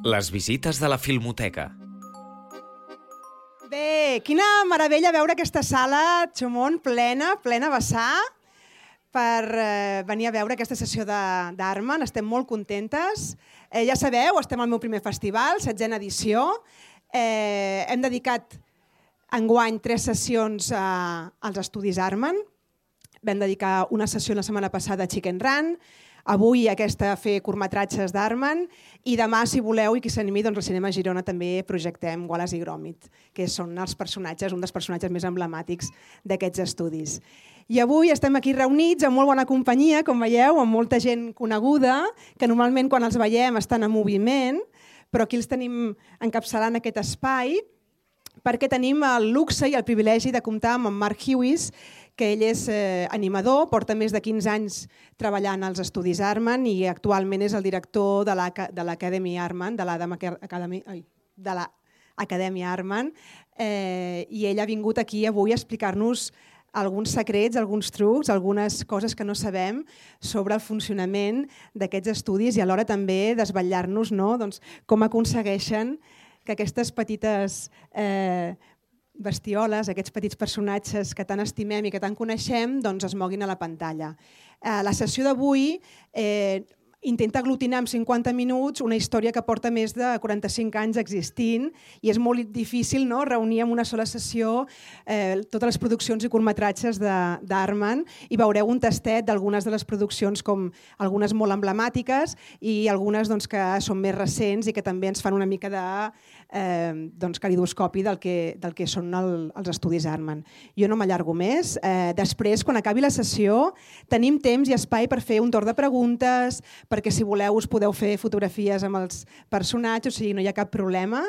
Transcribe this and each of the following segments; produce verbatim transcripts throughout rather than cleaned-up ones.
Les visites de la Filmoteca. Bé, quina meravella veure aquesta sala, Xomón, plena, plena a vessar, per eh, venir a veure aquesta sessió d'Artman. Estem molt contentes. Eh, ja sabeu, estem al meu primer festival, setzena edició. Eh, hem dedicat enguany tres sessions a, als estudis Artman. Vam dedicar una sessió la setmana passada a Chicken Run, avui aquesta a fer curtmetratges d'Artman i demà, si voleu, i qui s'animi, doncs al Cinema Girona també projectem Wallace i Gromit, que són els personatges, un dels personatges més emblemàtics d'aquests estudis. I avui estem aquí reunits amb molt bona companyia, com veieu, amb molta gent coneguda, que normalment quan els veiem estan en moviment, però aquí els tenim encapçalant aquest espai, perquè tenim el luxe i el privilegi de comptar amb en Mark Hughes, que ell és eh, animador, porta més de quinze anys treballant als estudis Artman i actualment és el director de l'Academy Artman, de l'Acadèmia Artman, eh, i ell ha vingut aquí avui a explicar-nos alguns secrets, alguns trucs, algunes coses que no sabem sobre el funcionament d'aquests estudis i alhora també desvetllar-nos, no? Doncs, com aconsegueixen que aquestes petites eh, bestioles, aquests petits personatges que tant estimem i que tant coneixem, doncs es moguin a la pantalla. Eh, la sessió d'avui eh, intenta aglutinar en cinquanta minuts una història que porta més de quaranta-cinc anys existint i és molt difícil, no?, reunir en una sola sessió eh, totes les produccions i curtmetratges d'Artman i veureu un tastet d'algunes de les produccions, com algunes molt emblemàtiques i algunes doncs, que són més recents i que també ens fan una mica de eh, doncs, calidoscopi del que, del que són el, els estudis Artman. Jo no m'allargo més. Eh, després, quan acabi la sessió, tenim temps i espai per fer un torn de preguntes, perquè si voleu us podeu fer fotografies amb els personatges, o sigui, no hi ha cap problema.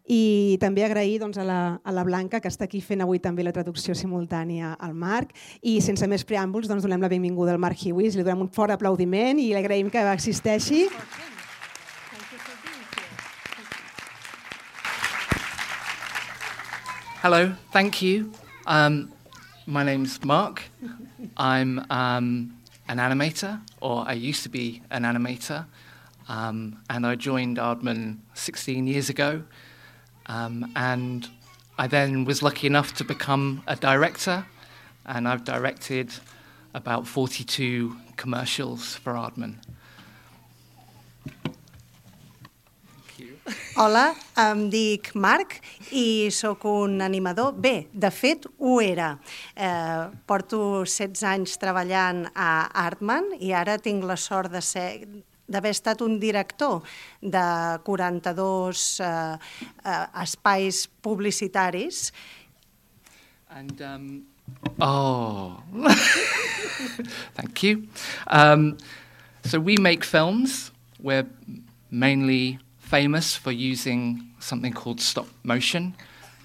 I també agrair doncs, a, la, a la Blanca, que està aquí fent avui també la traducció simultània al Marc. I sense més preàmbuls, doncs, donem la benvinguda al Mark Hughes, li donem un fort aplaudiment i li agraïm que existeixi. Hello, thank you. Um, my name's Mark. I'm um, an animator, or I used to be an animator, um, and I joined Aardman sixteen years ago, um, and I then was lucky enough to become a director, and I've directed about forty-two commercials for Aardman. Hola, em dic Marc i sóc un animador. Bé, de fet, ho era. Eh, porto setze anys treballant a Aardman i ara tinc la sort de ser d'haver estat un director de quaranta-dos eh, eh, espais publicitaris. And, um, oh, thank you. Um, so we make films. We're mainly famous for using something called stop motion,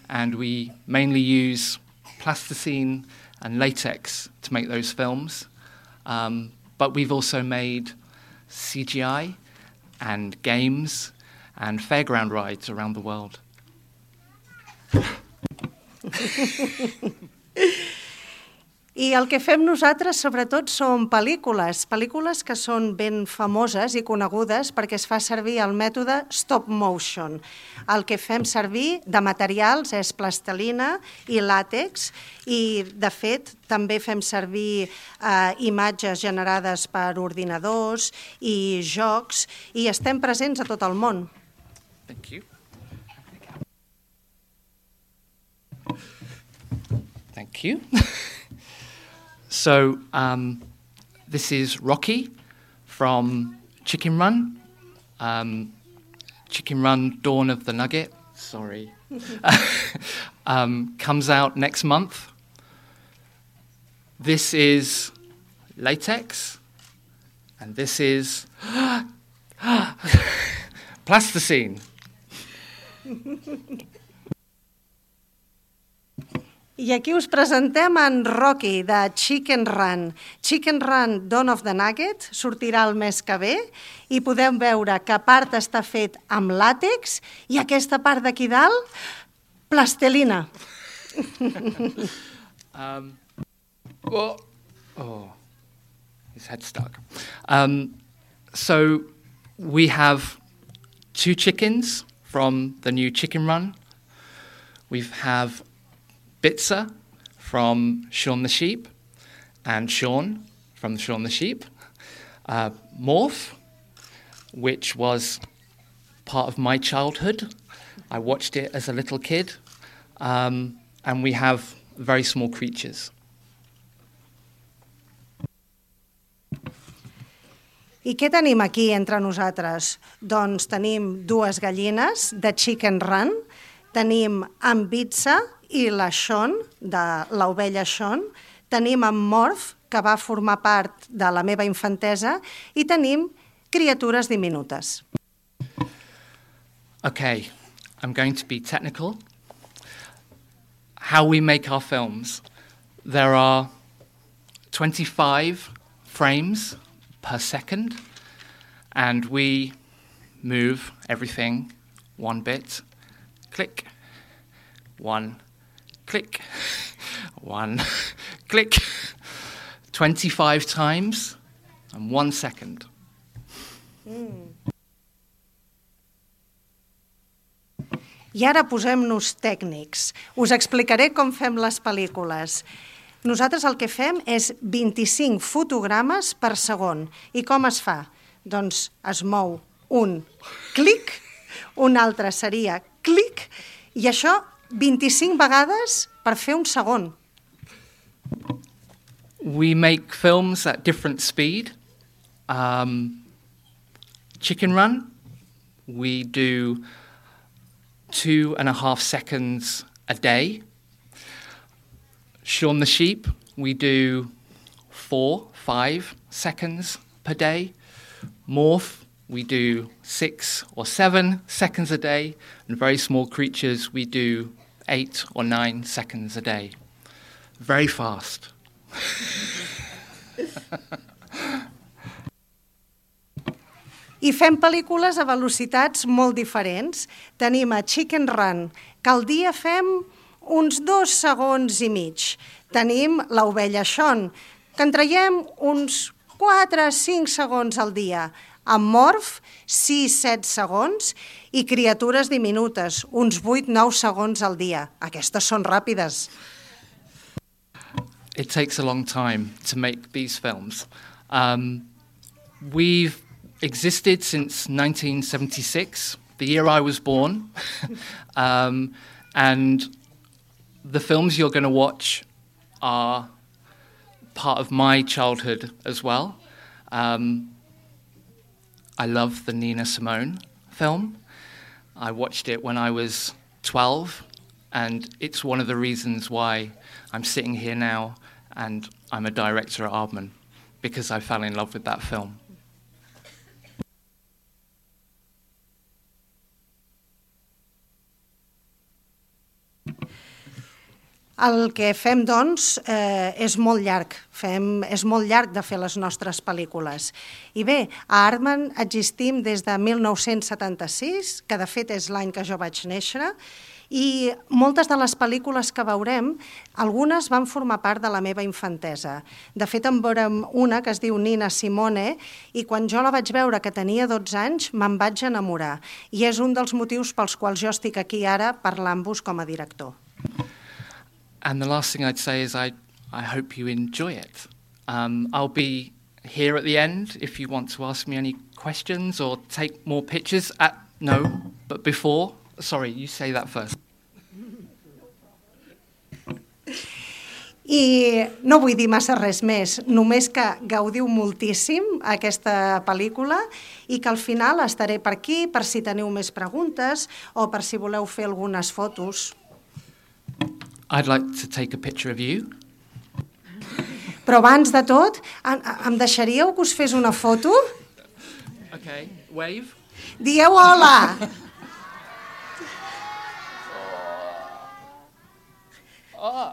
and we mainly use plasticine and latex to make those films. Um, but we've also made C G I and games and fairground rides around the world. I el que fem nosaltres, sobretot, són pel·lícules, pel·lícules que són ben famoses i conegudes perquè es fa servir el mètode stop motion. El que fem servir de materials és plastilina i làtex i, de fet, també fem servir eh, imatges generades per ordinadors i jocs i estem presents a tot el món. Thank you. Thank you. So um, this is Rocky from Chicken Run. Um, Chicken Run Dawn of the Nugget, sorry, um, comes out next month. This is latex, and this is plasticine. I aquí us presentem en Rocky, de Chicken Run. Chicken Run Dawn of the Nugget sortirà el mes que ve i podeu veure que part està fet amb làtex i aquesta part d'aquí dalt, plastilina. um, well, oh, his head stuck. Um, so we have two chickens from the new Chicken Run. We have Bitzer from Shaun the Sheep and Shaun from Shaun the Sheep. Uh, Morph, which was part of my childhood. I watched it as a little kid. Um, and we have very small creatures. I què tenim aquí entre nosaltres? Doncs tenim dues gallines de Chicken Run, tenim en Bitzer i la Shaun, de l'ovella Shaun, tenim en Morph, que va formar part de la meva infantesa, i tenim criatures diminutes. Okay, I'm going to be technical. How we make our films. There are twenty-five frames per second, and we move everything one bit, click, one, click, one, click, twenty-five times and one second. Mm. I ara posem-nos tècnics. Us explicaré com fem les pel·lícules. Nosaltres el que fem és vint-i-cinc fotogrames per segon. I com es fa? Doncs es mou un clic, un altre seria clic, i això vint-i-cinc vegades per fer un segon. We make films at different speed. Um, Chicken Run, we do two and a half seconds a day. Shaun the Sheep, we do four, five seconds per day. Morph, we do six or seven seconds a day. And very small creatures, we do eight or nine seconds a day. Very fast. I fem pel·lícules a velocitats molt diferents. Tenim a Chicken Run, que al dia fem uns dos segons i mig. Tenim l'ovella Shaun, que en traiem uns quatre a cinc segons al dia. Amb Morph, sis a set segons, i criatures diminutes, uns vuit a nou segons al dia. Aquestes són ràpides. It takes a long time to make these films. Um, we've existed since nineteen seventy-six, the year I was born, um, and the films you're going to watch are part of my childhood as well. Um, I love the Nina Simone film. I watched it when I was twelve, and it's one of the reasons why I'm sitting here now and I'm a director at Aardman, because I fell in love with that film. El que fem, doncs, eh, és molt llarg. Fem, és molt llarg de fer les nostres pel·lícules. I bé, a Aardman existim des de mil nou-cents setanta-sis, que de fet és l'any que jo vaig néixer, i moltes de les pel·lícules que veurem, algunes van formar part de la meva infantesa. De fet, en veurem una que es diu Nina Simone, i quan jo la vaig veure, que tenia dotze anys, me'n vaig enamorar. I és un dels motius pels quals jo estic aquí ara parlant-vos com a director. And the last thing I'd say is I, I hope you enjoy it. Um, I'll be here at the end if you want to ask me any questions or take more pictures. At, no, but before. Sorry, you say that first. I no vull dir massa res més, només que gaudiu moltíssim aquesta pel·lícula i que al final estaré per aquí per si teniu més preguntes o per si voleu fer algunes fotos. I'd like to take a picture of you. Però abans de tot, em deixaríeu que us fes una foto? Okay, wave. Dieu hola! Oh.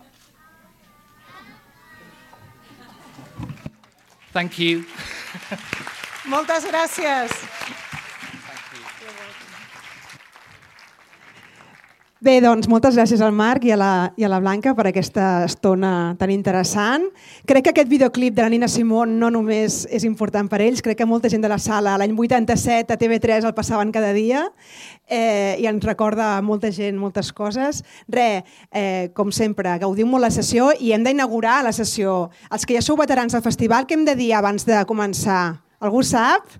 Thank you. Moltes gràcies. Bé, doncs moltes gràcies al Marc i a, la, i a la Blanca per aquesta estona tan interessant. Crec que aquest videoclip de la Nina Simone no només és important per ells, crec que molta gent de la sala l'any vuitanta-set a T V tres el passaven cada dia eh, i ens recorda a molta gent moltes coses. Re, eh, com sempre, gaudim molt la sessió i hem d'inaugurar la sessió. Els que ja sou veterans del festival, què hem de dir abans de començar? Algú sap?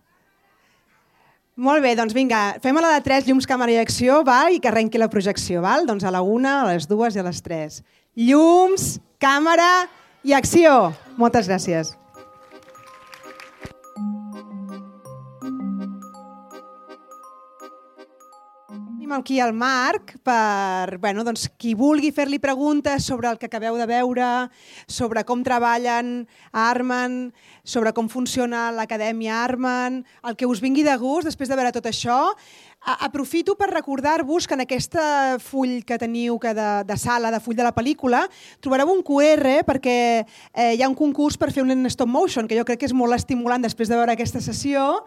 Molt bé, doncs vinga, fem a la de tres, llums, càmera i acció, val? I que arrenqui la projecció, val? Doncs a la una, a les dues i a les tres. Llums, càmera i acció. Moltes gràcies. Tenim aquí el Marc per, bueno, doncs, qui vulgui fer-li preguntes sobre el que acabeu de veure, sobre com treballen a Artman, sobre com funciona l'acadèmia Artman, el que us vingui de gust després de veure tot això. Aprofito per recordar-vos que en aquest full que teniu que de, de sala, de full de la pel·lícula, trobareu un Q R perquè eh, hi ha un concurs per fer un stop motion, que jo crec que és molt estimulant després de veure aquesta sessió.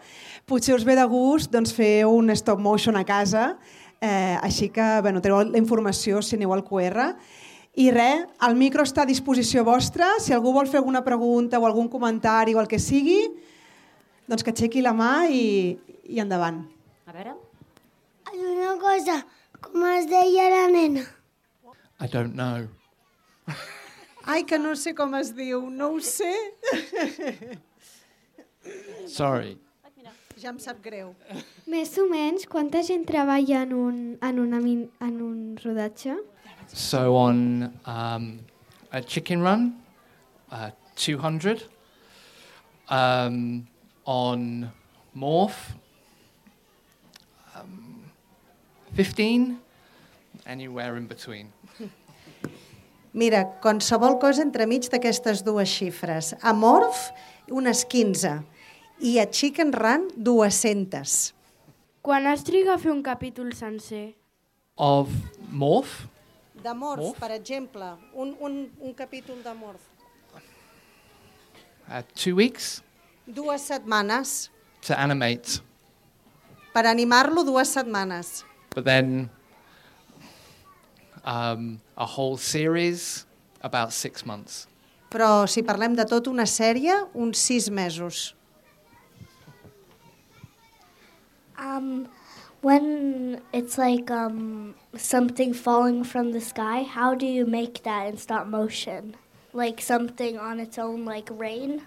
Potser us ve de gust doncs, fer un stop motion a casa, eh, així que bueno, teniu la informació si aneu al Q R. I res, el micro està a disposició vostra. Si algú vol fer alguna pregunta o algun comentari o el que sigui, doncs que aixequi la mà i, i endavant. A veure... Una cosa, com es deia la nena? I don't know. Ai, que no sé com es diu, no ho sé. Sorry. Ja em sap greu. Més o menys, quanta gent treballa en un, en una, min- en un rodatge? So on um, a chicken run, uh, two hundred. Um, on Morph, um, fifteen. Anywhere in between. Mira, qualsevol cosa entremig d'aquestes dues xifres. A Morph, unes quinze. I a Chicken Run, dues-centes. Quan es triga a fer un capítol sencer? Of Morph, De Morph, Morph? per exemple. Un, un, un capítol de Morph. uh, two weeks Dues setmanes. to animate. Per animar-lo, dues setmanes. But then um, a whole series, about six months. Però si parlem de tot una sèrie, uns sis mesos. Um, when it's like um, something falling from the sky, how do you make that in stop motion? Like something on its own, like rain?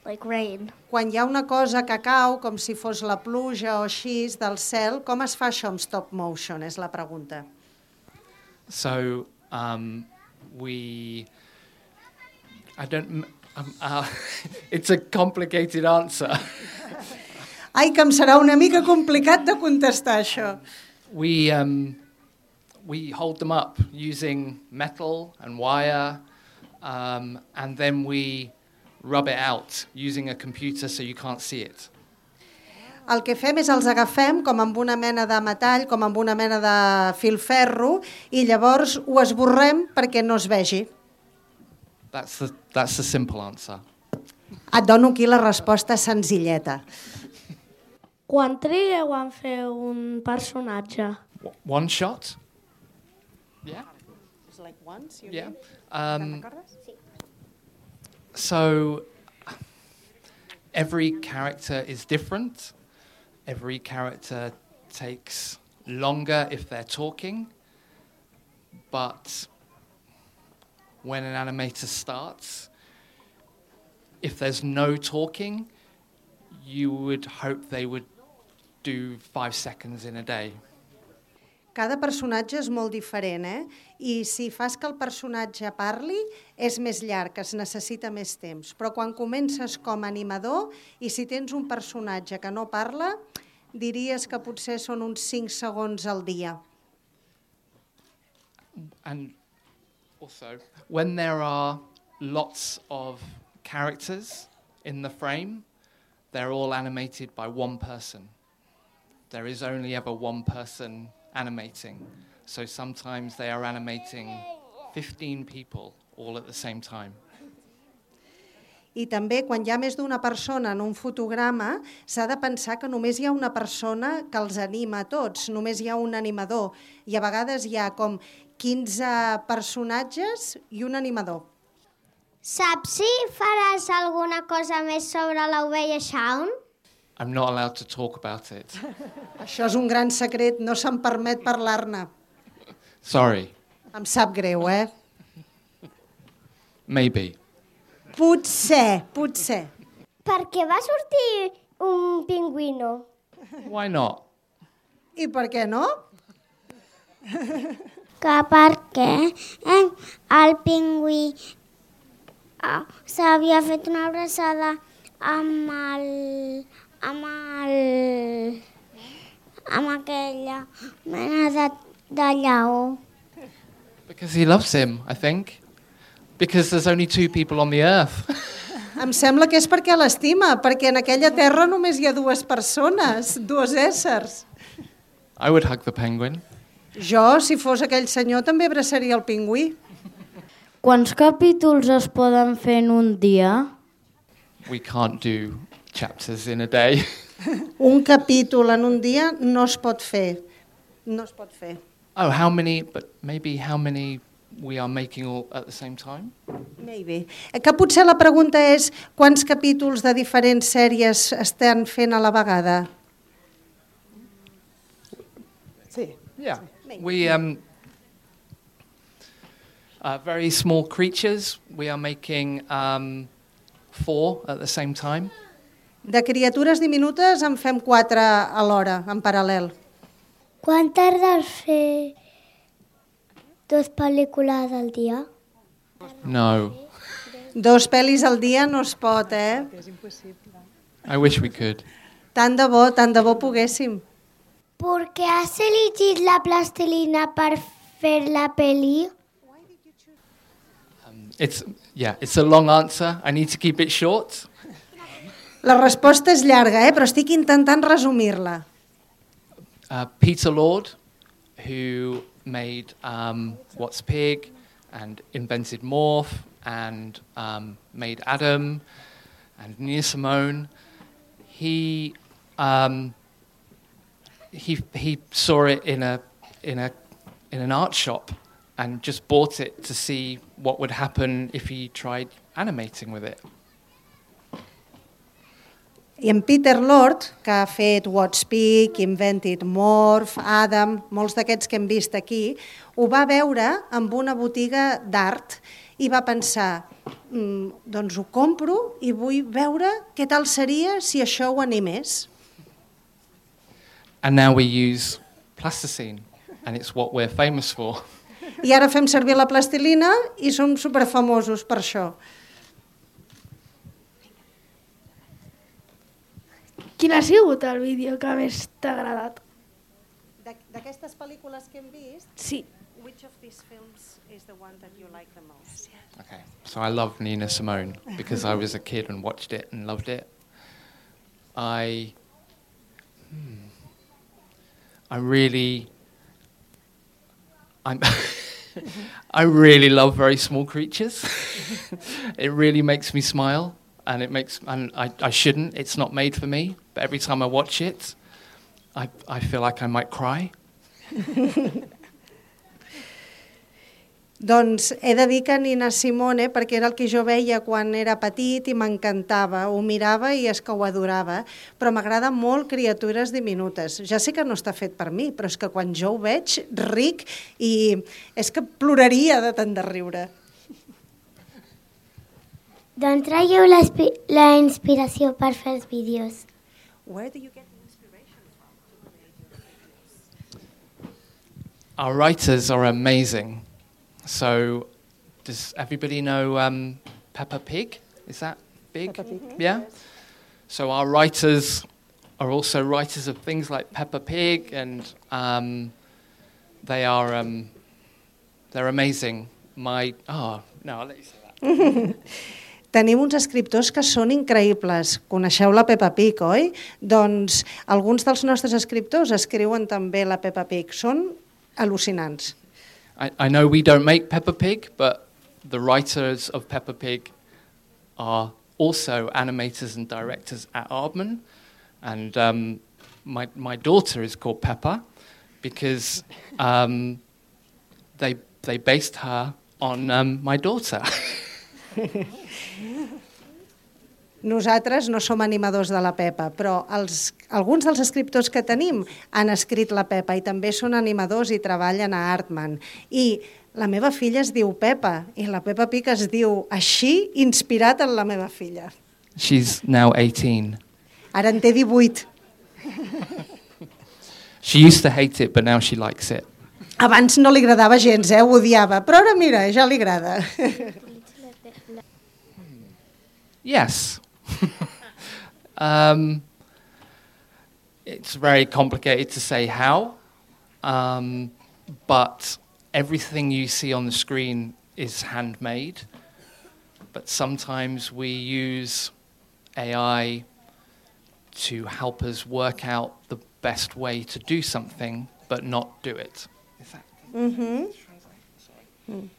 Like rain. Quan hi ha una cosa que cau, com si fos la pluja o així, del cel, com es fa això amb stop motion, és la pregunta. So um, we, I don't, um, uh, it's a complicated answer. Ai, que em serà una mica complicat de contestar això. We, um, we hold them up using metal and wire, um, and then we rub it out using a computer so you can't see it. El que fem és els agafem com amb una mena de metall, com amb una mena de filferro, i llavors ho esborrem perquè no es vegi. That's the, that's the simple answer. Et dono aquí la resposta senzilleta. Quan trigueu en fer un personatge? W- One shot? Yeah. It's like once, you Yeah. mean? Um, so every character is different. Every character takes longer if they're talking. But when an animator starts, if there's no talking, you would hope they would do five seconds in a day. Cada personatge és molt diferent, eh? I si fas que el personatge parli, és més llarg, es necessita més temps. Però quan comences com a animador i si tens un personatge que no parla, diries que potser són uns cinc segons al dia. And also, when there are lots of characters in the frame, they're all animated by one person. There is only ever one person animating. So sometimes they are animating fifteen people all at the same time. I també, quan hi ha més d'una persona en un fotograma, s'ha de pensar que només hi ha una persona que els anima a tots, només hi ha un animador. I a vegades hi ha com quinze personatges i un animador. Saps si faràs alguna cosa més sobre l'ovella Shaun? I'm not allowed to talk about it. Això és un gran secret, no se'm permet parlar-ne. Sorry. Em sap greu, eh? Maybe. Potser, potser. Per què va sortir un pingüino? Why not? I per què no? Que perquè eh, el pingüí ah, s'havia fet una abraçada amb el... amb el... amb aquella mena de, de lleó. Because he loves him, I think. Because there's only two people on the earth. Em sembla que és perquè l'estima, perquè en aquella terra només hi ha dues persones, dos éssers. I would hug the penguin. Jo, si fos aquell senyor, també abraçaria el pingüí. Quants capítols es poden fer en un dia? We can't do chapters in a day. Un capítol en un dia no es pot fer. No es pot fer. Oh, how many, but maybe how many we are making all at the same time? Maybe. Que potser la pregunta és quants capítols de diferents sèries estan fent a la vegada? Sí. Yeah. We, um, uh, very small creatures, we are making um, four at the same time. De criatures diminutes en fem quatre alhora, en paral·lel. Quan tardes fer dos pel·lícules al dia? No. Dos pel·lis al dia no es pot, eh? I wish we could. Tant de bo, tant de bo poguéssim. Per què has elegit la plastilina per fer la pel·li? Um, it's, yeah, it's a long answer. I need to keep it short. La resposta és llarga, eh? Però estic intentant resumir-la. Uh, Peter Lord, who made um, What's Pig and invented Morph and um, made Adam and Nina Simone, he um, he he saw it in a in a in an art shop and just bought it to see what would happen if he tried animating with it. I en Peter Lord, que ha fet What's Pig, Invented Morph, Adam, molts d'aquests que hem vist aquí, ho va veure amb una botiga d'art i va pensar, mm, doncs ho compro i vull veure què tal seria si això ho animés. And now we use plasticine, and it's what we're famous for. I ara fem servir la plastilina i som superfamosos per això. Quin ha sigut el vídeo que més t'ha agradat? D'aquestes pel·lícules que hem vist, sí. Which of these films is the one that you like the most? Okay, so I love Nina Simone because I was a kid and watched it and loved it. I, hmm, I really, I'm, I really love very small creatures. It really makes me smile. And it makes, and I, I shouldn't, it's not made for me, but every time I watch it, I, I feel like I might cry. Doncs he de dir que Nina Simone, perquè era el que jo veia quan era petit i m'encantava, ho mirava i és que ho adorava, però m'agrada molt Criatures diminutes. Ja sé que no està fet per mi, però és que quan jo ho veig, ric, i és que ploraria de tant de riure. D'on traieu la inspiració per fer els vídeos? Where do you get the inspiration from? Our writers are amazing. So, does everybody know um, Peppa Pig? Is that big? Peppa Pig. Yeah? So our writers are also writers of things like Peppa Pig, and um, they are um, they're amazing. My oh no, I'll let you say that. Tenim uns escriptors que són increïbles. Coneixeu la Peppa Pig, oi? Doncs alguns dels nostres escriptors escriuen també la Peppa Pig. Són al·lucinants. I, I know we don't make Peppa Pig, but the writers of Peppa Pig are also animators and directors at Aardman. And um, my, my daughter is called Peppa because um, they, they based her on um, my daughter. Nosaltres no som animadors de la Pepa, però els, alguns dels escriptors que tenim han escrit la Pepa i també són animadors i treballen a Aardman. I la meva filla es diu Pepa i la Peppa Pig es diu així, inspirat en la meva filla. She's now eighteen. Ara en té divuit. She used to hate it, but now she likes it. Abans no li agradava gens, eh? Ho odiava, però ara mira, ja li agrada. Yes. um, it's very complicated to say how, um, but everything you see on the screen is handmade. But sometimes we use A I to help us work out the best way to do something, but not do it. Is that mm-hmm. mm.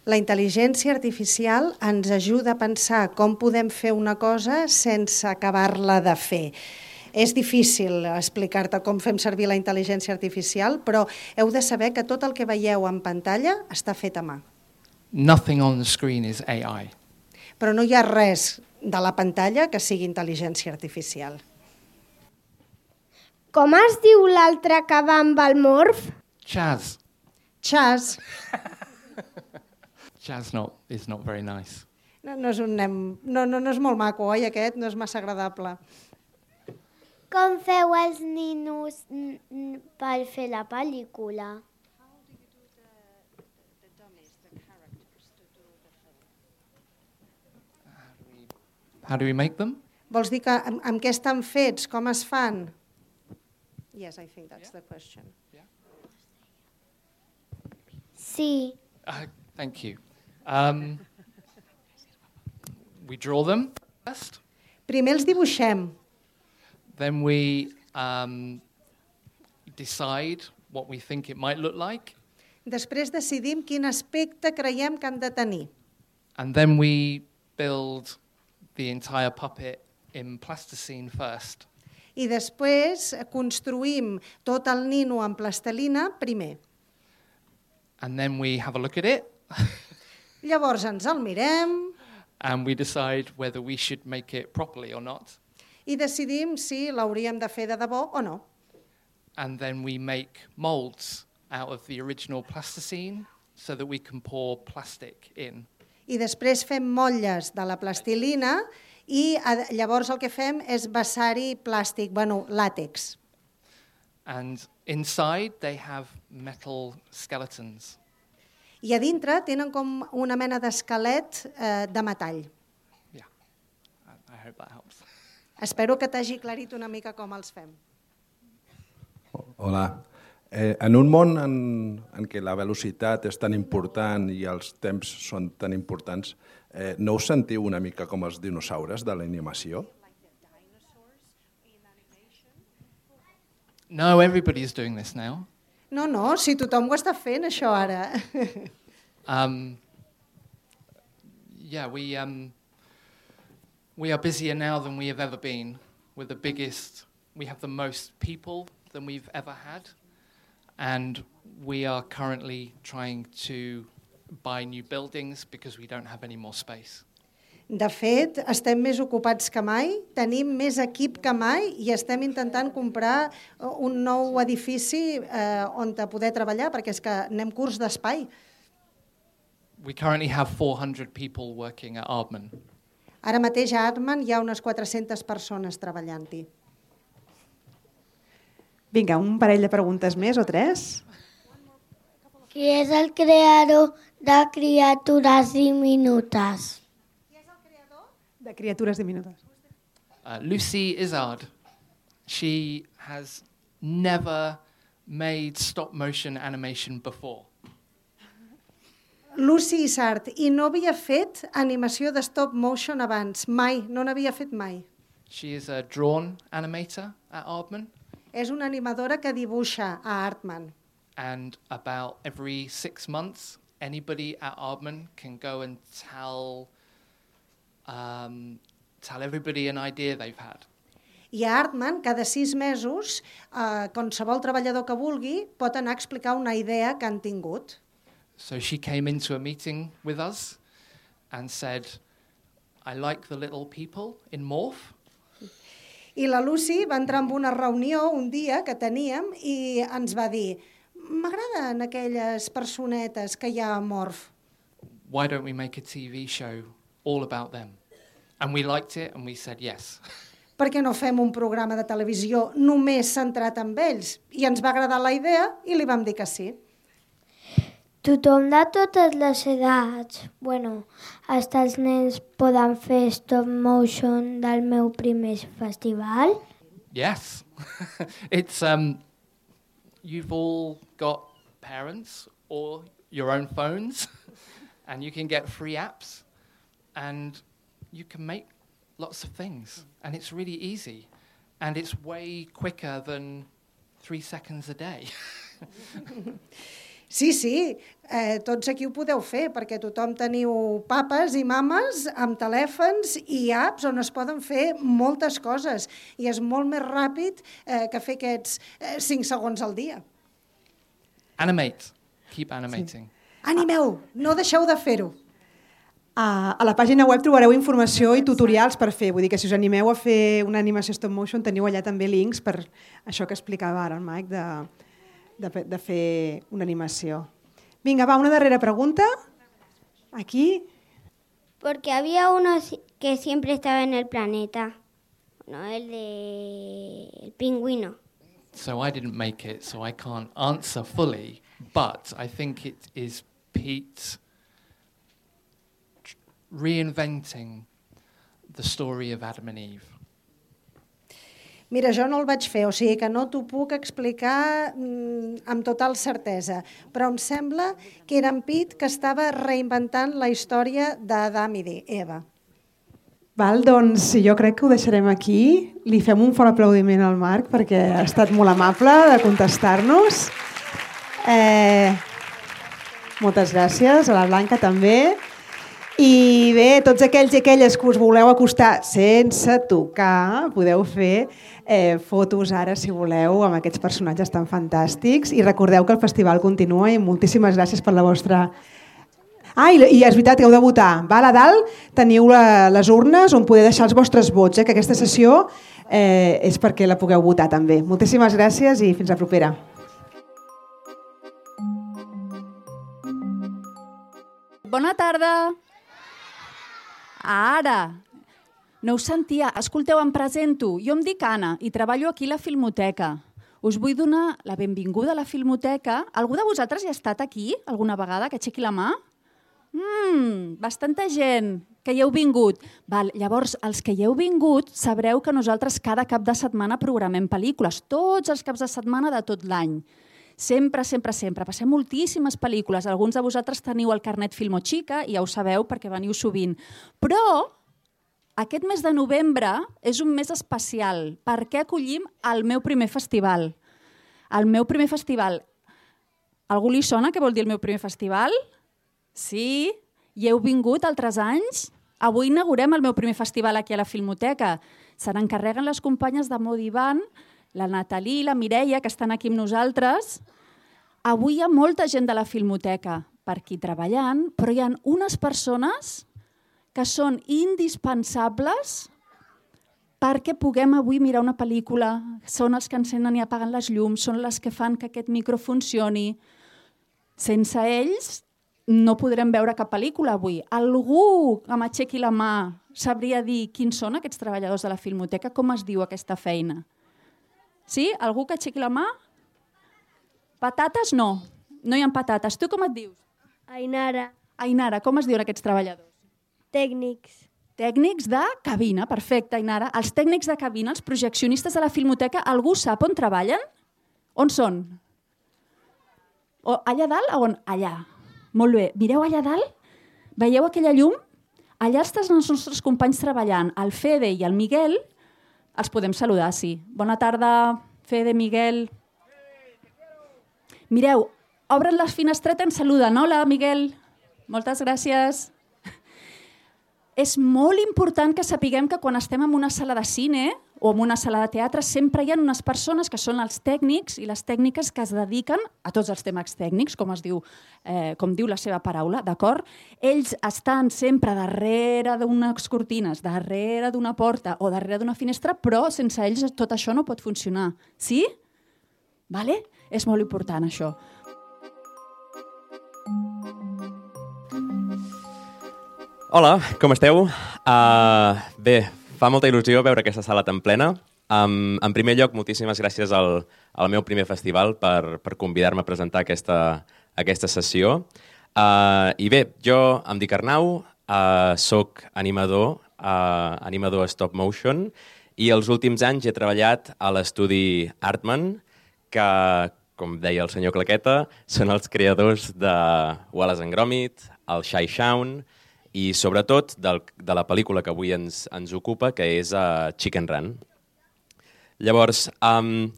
La intel·ligència artificial ens ajuda a pensar com podem fer una cosa sense acabar-la de fer. És difícil explicar-te com fem servir la intel·ligència artificial, però heu de saber que tot el que veieu en pantalla està fet a mà. Nothing on the screen is A I. Però no hi ha res de la pantalla que sigui intel·ligència artificial. Com es diu l'altre que va amb el morf? Chaz. Chaz. Chaz not, is not very nice. No, no, és un nen, no, no, no és molt maco, oi, aquest? No és massa agradable. Com feu els ninos per fer la pel·lícula? How do we make them? Vols dir que amb, amb què estan fets? Com es fan? Yes, I think that's the question. Sí. Uh, thank you. Um, we draw them first. Primer els dibuixem. Then we um, decide what we think it might look like. Després decidim quin aspecte creiem que han de tenir. And then we build the entire puppet in plasticine first. I després construïm tot el nino en plastelina primer. And then we have a look at it. Llavors ens el mirem. And we decide whether we should make it properly or not. I decidim si l'hauríem de fer de debò o no. And then we make molds out of the original plasticine so that we can pour plastic in. I després fem motlles de la plastilina i llavors el que fem és vessar-hi plàstic, bueno, làtex. And inside they have metal skeletons. I a dintre tenen com una mena d'esquelet eh, de metall. Yeah, I hope that helps. Espero que t'hagi aclarit una mica com els fem. Hola. Eh, en un món en, en què la velocitat és tan important i els temps són tan importants, eh, no us sentiu una mica com els dinosaures de l'animació? No, everybody is doing this now. No, no, si tothom ho està fent, això ara. um, yeah, we um, we are busier now than we have ever been. We're the biggest. We have the most people than we've ever had, and we are currently trying to buy new buildings because we don't have any more space. De fet, estem més ocupats que mai, tenim més equip que mai i estem intentant comprar un nou edifici eh, on poder treballar perquè és que anem curts d'espai. We currently have four hundred people working at Aardman. Ara mateix a Aardman hi ha unes quatre-centes persones treballant-hi. Vinga, un parell de preguntes més o tres? Qui és el creador de Criatures Diminutes? De Criatures Diminutes. Uh, Lucy Izzard. She has never made stop-motion animation before. Lucy Izzard, i no havia fet animació de stop motion abans, mai, no n'havia fet mai. She is a drawn animator at Aardman. És una animadora que dibuixa a Aardman. And about every six months, anybody at Aardman can go and tell um, tell everybody an idea they've had. I a Artman, cada sis mesos, eh, qualsevol treballador que vulgui pot anar a explicar una idea que han tingut. So she came into a meeting with us and said, I like the little people in Morph. I la Lucy va entrar en una reunió un dia que teníem i ens va dir m'agraden aquelles personetes que hi ha a Morph. Why don't we make a T V show all about them? And we liked it and we said yes. Per què no fem un programa de televisió només centrat en ells? I ens va agradar la idea i li vam dir que sí. Tothom de totes les edats, bueno, hasta els nens poden fer stop motion del meu primer festival? Yes. It's, um, you've all got parents or your own phones and you can get free apps and you can make lots of things, and it's really easy, and it's way quicker than three seconds a day. Sí, sí, eh, tots aquí ho podeu fer, perquè tothom teniu papes i mames amb telèfons i apps on es poden fer moltes coses, i és molt més ràpid eh, que fer aquests eh, cinc segons al dia. Animate. Keep animating. Sí. Animeu, no deixeu de fer-ho. A, a la pàgina web trobareu informació i tutorials per fer, vull dir que si us animeu a fer una animació stop motion teniu allà també links per això que explicava ara el Mike de, de, de fer una animació. Vinga, va, una darrera pregunta. Aquí. Porque había uno que siempre estaba en el planeta, ¿no? El de el pingüino. So I didn't make it, so I can't answer fully, but I think it is Pete reinventing the story of Adam and Eve. Mira, jo no el vaig fer, o sigui que no t'ho puc explicar mm, amb total certesa, però em sembla que era en Pete que estava reinventant la història d'Adam i d'Eva. Val, doncs jo crec que ho deixarem aquí. Li fem un fort aplaudiment al Marc perquè ha estat molt amable de contestar-nos. Eh, moltes gràcies, a la Blanca també. I bé, tots aquells i aquelles que us voleu acostar sense tocar, podeu fer eh, fotos ara, si voleu, amb aquests personatges tan fantàstics. I recordeu que el festival continua i moltíssimes gràcies per la vostra... Ah, i, i és veritat que heu de votar. Val, a dalt teniu la, les urnes on podeu deixar els vostres vots, eh, que aquesta sessió eh, és perquè la pugueu votar també. Moltíssimes gràcies i fins la propera. Bona tarda. Ara, no us sentia. Escolteu, em presento. Jo em dic Anna i treballo aquí a la Filmoteca. Us vull donar la benvinguda a la Filmoteca. Algú de vosaltres hi ha estat aquí alguna vegada? Que aixequi la mà. Mmm, bastanta gent que hi heu vingut. Val, llavors, els que hi heu vingut sabreu que nosaltres cada cap de setmana programem pel·lícules, tots els caps de setmana de tot l'any. Sempre, sempre, sempre. Passem moltíssimes pel·lícules. Alguns de vosaltres teniu el carnet Filmochica i ja ho sabeu perquè veniu sovint. Però aquest mes de novembre és un mes especial perquè acollim el meu primer festival. El meu primer festival. Algú li sona què vol dir el meu primer festival? Sí? Hi heu vingut altres anys? Avui inaugurem el meu primer festival aquí a la Filmoteca. Se n'encarreguen les companyes de Modivan, la Natalí i la Mireia, que estan aquí amb nosaltres. Avui hi ha molta gent de la Filmoteca per aquí treballant, però hi ha unes persones que són indispensables perquè puguem avui mirar una pel·lícula. Són els que encenen i apaguen les llums, són les que fan que aquest micro funcioni. Sense ells no podrem veure cap pel·lícula avui. Algú que m'aixequi la mà sabria dir quins són aquests treballadors de la Filmoteca, com es diu aquesta feina? Sí? Algú que aixequi la mà? Patates no. No hi ha patates. Tu com et dius? Ainara. Ainara, com es diuen aquests treballadors? Tècnics. Tècnics de cabina, perfecte, Ainara. Els tècnics de cabina, els projeccionistes de la Filmoteca, algú sap on treballen? On són? O allà dalt o on? Allà. Molt bé. Mireu allà dalt? Veieu aquella llum? Allà estan els nostres companys treballant. El Fede i el Miguel els podem saludar, sí. Bona tarda, Fede, Miguel. Mireu, obren les finestretes i ens saluden. Hola, Miguel. Moltes gràcies. és molt important que sapiguem que quan estem en una sala de cine o en una sala de teatre sempre hi ha unes persones que són els tècnics i les tècniques que es dediquen a tots els temes tècnics, com es diu, eh, com diu la seva paraula, d'acord? Ells estan sempre darrere d'unes cortines, darrere d'una porta o darrere d'una finestra, però sense ells tot això no pot funcionar. Sí? Vale? És molt important, això. Hola, com esteu? Uh, bé, fa molta il·lusió veure aquesta sala tan plena. Um, en primer lloc, moltíssimes gràcies al, al meu primer festival per, per convidar-me a presentar aquesta, aquesta sessió. Uh, I bé, jo em dic Arnau, uh, soc animador, uh, animador stop motion, i els últims anys he treballat a l'estudi Artman, que, com deia el senyor Claqueta, són els creadors de Wallace and Gromit, el Shy Shaun, i sobretot del, de la pel·lícula que avui ens, ens ocupa, que és uh, Chicken Run. Llavors, um,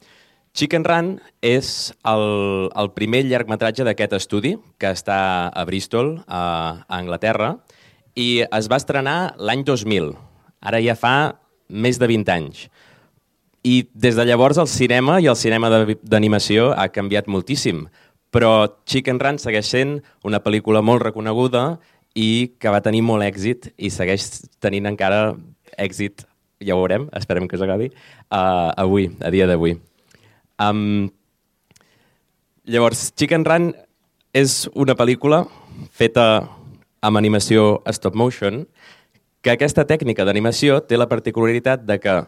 Chicken Run és el, el primer llargmetratge d'aquest estudi, que està a Bristol, a, a Anglaterra, i es va estrenar l'any dos mil. Ara ja fa més de vint anys. I des de llavors el cinema i el cinema d'animació ha canviat moltíssim, però Chicken Run segueix sent una pel·lícula molt reconeguda i que va tenir molt èxit i segueix tenint encara èxit, ja ho veurem, esperem que s'acabi, uh, avui, a dia d'avui. Um, llavors, Chicken Run és una pel·lícula feta amb animació stop motion, que aquesta tècnica d'animació té la particularitat de que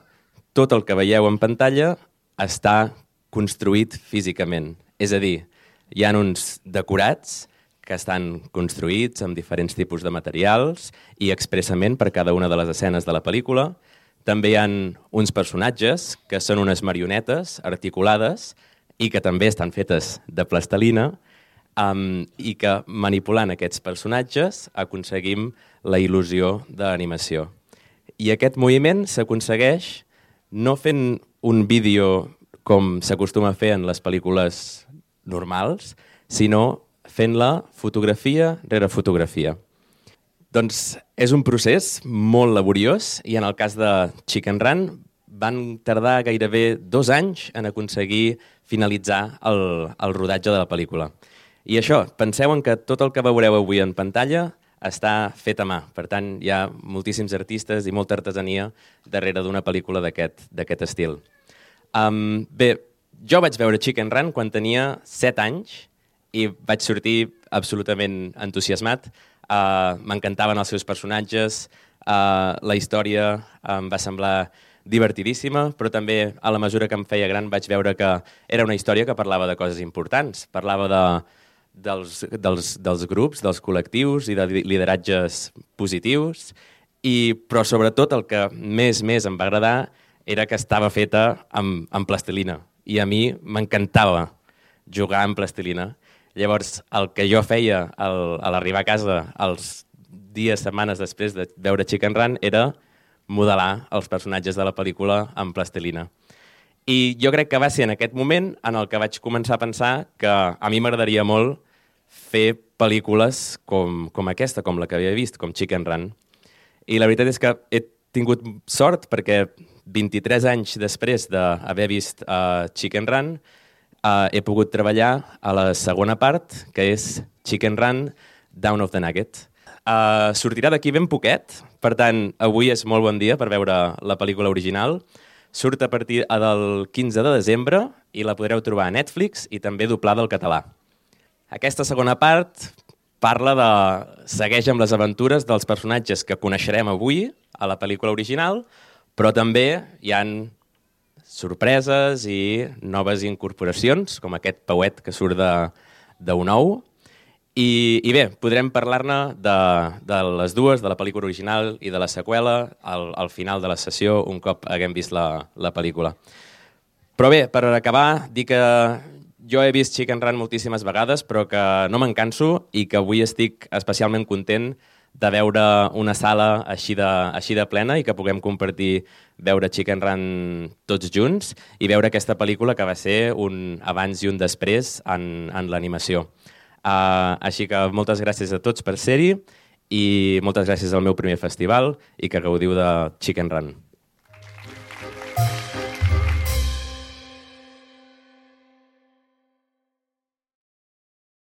tot el que veieu en pantalla està construït físicament. És a dir, hi ha uns decorats que estan construïts amb diferents tipus de materials i expressament per cada una de les escenes de la pel·lícula. També hi ha uns personatges que són unes marionetes articulades i que també estan fetes de plastelina um, i que manipulant aquests personatges aconseguim la il·lusió d'animació. I aquest moviment s'aconsegueix no fent un vídeo com s'acostuma a fer en les pel·lícules normals, sinó fent-la fotografia rere fotografia. Doncs és un procés molt laboriós i en el cas de Chicken Run van tardar gairebé dos anys en aconseguir finalitzar el, el rodatge de la pel·lícula. I això, penseu en que tot el que veureu avui en pantalla està fet a mà. Per tant, hi ha moltíssims artistes i molta artesania darrere d'una pel·lícula d'aquest d'aquest estil. Um, bé, jo vaig veure Chicken Run quan tenia set anys i vaig sortir absolutament entusiasmat. Uh, M'encantaven els seus personatges, uh, la història em va semblar divertidíssima, però també a la mesura que em feia gran vaig veure que era una història que parlava de coses importants. Parlava de, dels, dels, dels grups, dels col·lectius i de lideratges positius, i, però sobretot el que més més em va agradar era que estava feta amb, amb plastilina. I a mi m'encantava jugar amb plastilina. Llavors, el que jo feia al, a l'arribar a casa els dies, setmanes després de veure Chicken Run era modelar els personatges de la pel·lícula amb plastilina. I jo crec que va ser en aquest moment en el que vaig començar a pensar que a mi m'agradaria molt fer pel·lícules com, com aquesta, com la que havia vist, com Chicken Run. I la veritat és que he tingut sort perquè vint-i-tres anys després d'haver vist uh, Chicken Run Uh, he pogut treballar a la segona part, que és Chicken Run, Down of the Nugget. Uh, sortirà d'aquí ben poquet, per tant, avui és molt bon dia per veure la pel·lícula original. Surt a partir del quinze de desembre i la podreu trobar a Netflix i també doblada al català. Aquesta segona part parla de... segueix amb les aventures dels personatges que coneixerem avui a la pel·lícula original, però també hi han sorpreses i noves incorporacions, com aquest pauet que surt d'un ou. I, I bé, podrem parlar-ne de, de les dues, de la pel·lícula original i de la seqüela, al, al final de la sessió, un cop haguem vist la, la pel·lícula. Però bé, per acabar, dir que jo he vist Chicken Run moltíssimes vegades, però que no me'n canso i que avui estic especialment content de veure una sala així de, així de plena i que puguem compartir veure Chicken Run tots junts i veure aquesta pel·lícula que va ser un abans i un després en, en l'animació. Uh, així que moltes gràcies a tots per ser-hi i moltes gràcies al meu primer festival i que gaudiu de Chicken Run.